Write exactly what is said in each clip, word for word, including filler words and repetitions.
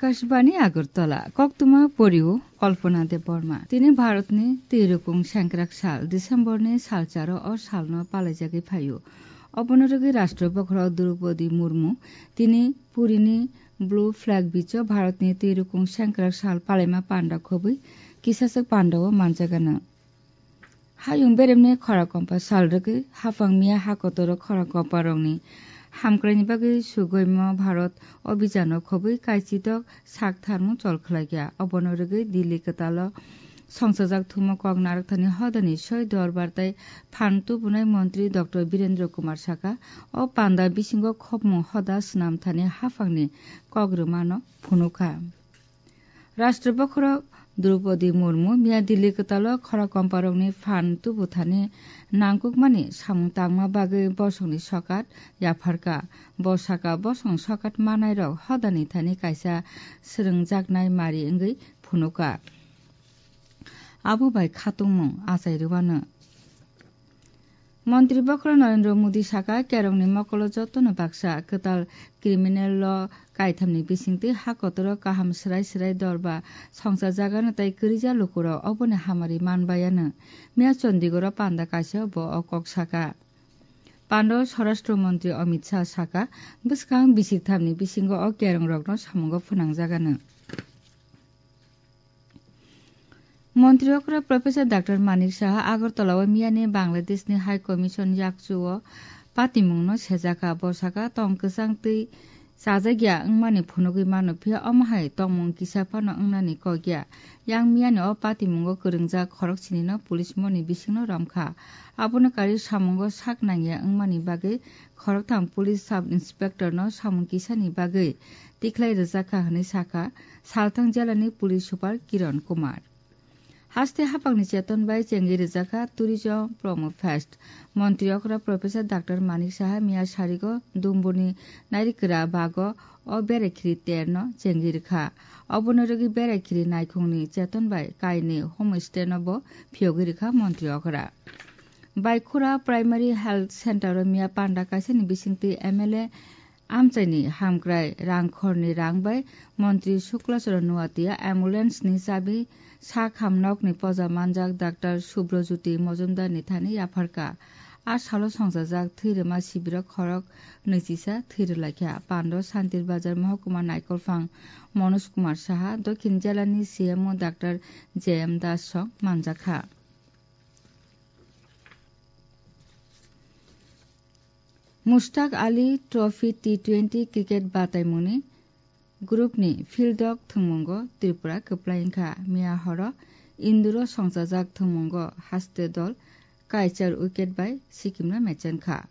Akashbani Agartala, koktwma porio Kalpana Debbarma. Tini Bharatni twirwkung sengkrak sal, Decemberni salcharo o salno palaijagwi phaio. Obono rwgwi Rashtra Bokhorok Droupadi Murmu tini Purini Blue Flag Beach-o Bharatni twirwkung sengkrak sal palaima panda khobwi kisaswk pandao manjagano. Hayung beremni khora kompa sal rwgwi haphang miya ha kotoro khora kompa rokni hamkraini bagwi sugoimo Bharat obhijano khobwi kaichidok sak tharmung chol khlaikha. Obono rwgwi Delhi kwtalo songchajak thumo kok narwkthani hodani soi dorbar tei phan tubunai montri Doctor Birendra Kumar saka, o panda bisingo khopmung hoda swnam thani haphangni kok rwmano phunukha. Rashtra Bokhorok Droupadi Murmu miya Delhi kwtalo khora komparokni phan tubuthani nangkukmani samung tangma bagwi bosongni sokat yapharkha. Bo saka bosong sokat manairok hodani thani kaisa swrwngjaknai mari wngwi phunukha. Abo bai khatungmung achai rwano. Montri Bokhorok Narendra Modi saka, kerongni mokolo jotono baksa kwtal criminal law kaithamni bisingtwi ha kotoro kaham swrai swrai dorba songchajagano tei kwrwija lukurok oboni hamari manbayano. Miya Chandigarh-o panda kaisa bo o kok saka. Pando Swarashtra Montri Amit Shah saka, bwskang bisik thamni bisingo o kerongrokno samungo phwnangjagano. Montri okra Professor Doctor Manik Saha Agartala o miyani Bangladeshni High Commission yakchu o patimungno sejakha. Bo saka tong kwchang twi chajakya wngmani phunugwi mano, phiya omo hai tongmung kisa phano wngnani kokya. Yang miyani o patimungo kwrwngjak khoroksinino police moni bisingno romkha. Abono karwi samungo sak nangya wngmani bagwi khoroktham police sub inspectorno samung kisani bagwi tikhlai rwjakha hwnwi sakha Salthang jelani police super Kiran Kumar. Haste hapangni cheton bai chengwi rwjakha Tourism Promo Fest. Montri okra Professor Doctor Manik Saha miya sarigo Dumburni Nairikra bago o berai khiri terno chengwi rwkha. Obono rwgwi berai khiri naikhungni cheton bai kainwi homestay no bo phiyogwi rwkha montri okra. Baikhura Primary Health Center o miya panda kaisani bisingtwi M L A amchaini hamkrai rang khorni rang bai montri Shukla Charan Noatia ambulance ni chabi sak ham nokni poja manjak Doctor Subrajyoti Mojumdar ni thani yapharkha. A salo songchajak thwi rwma sibiro khorok nwichisa thwi rwlaikha. Pando Santir Bazar Mohokuma Naikolphang Manoj Kumar Saha, Dokhin Jela ni C M O Doctor J M Das song manjakha. Mushtaq Ali Trophy T twenty cricket bataimungni group ni field dok thwngmungo Tripura kwplai wngkha. Miya horo Induro songchajak thwngmungo haste dol kaichar wicket bai Sikimno mechenkha.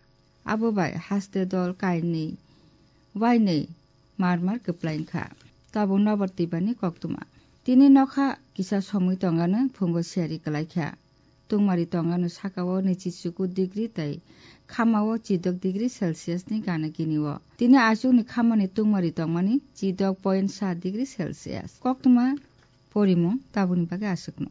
Abo bai haste dol kainwi wainwi mar mar kwplai wngkha. Tabuk nobar twibani koktwma. Tini nokha kisa somwi tongano phungo siyari kwlaikha. Tungmari tongano sakao nwichichuku degree tei khamao chidok degree Celsius ni gana gini o. Tini achukni khamani tungmari tongmani chidok point sa degree Celsius. Koktwma porimung tabukni bagwi aswkno.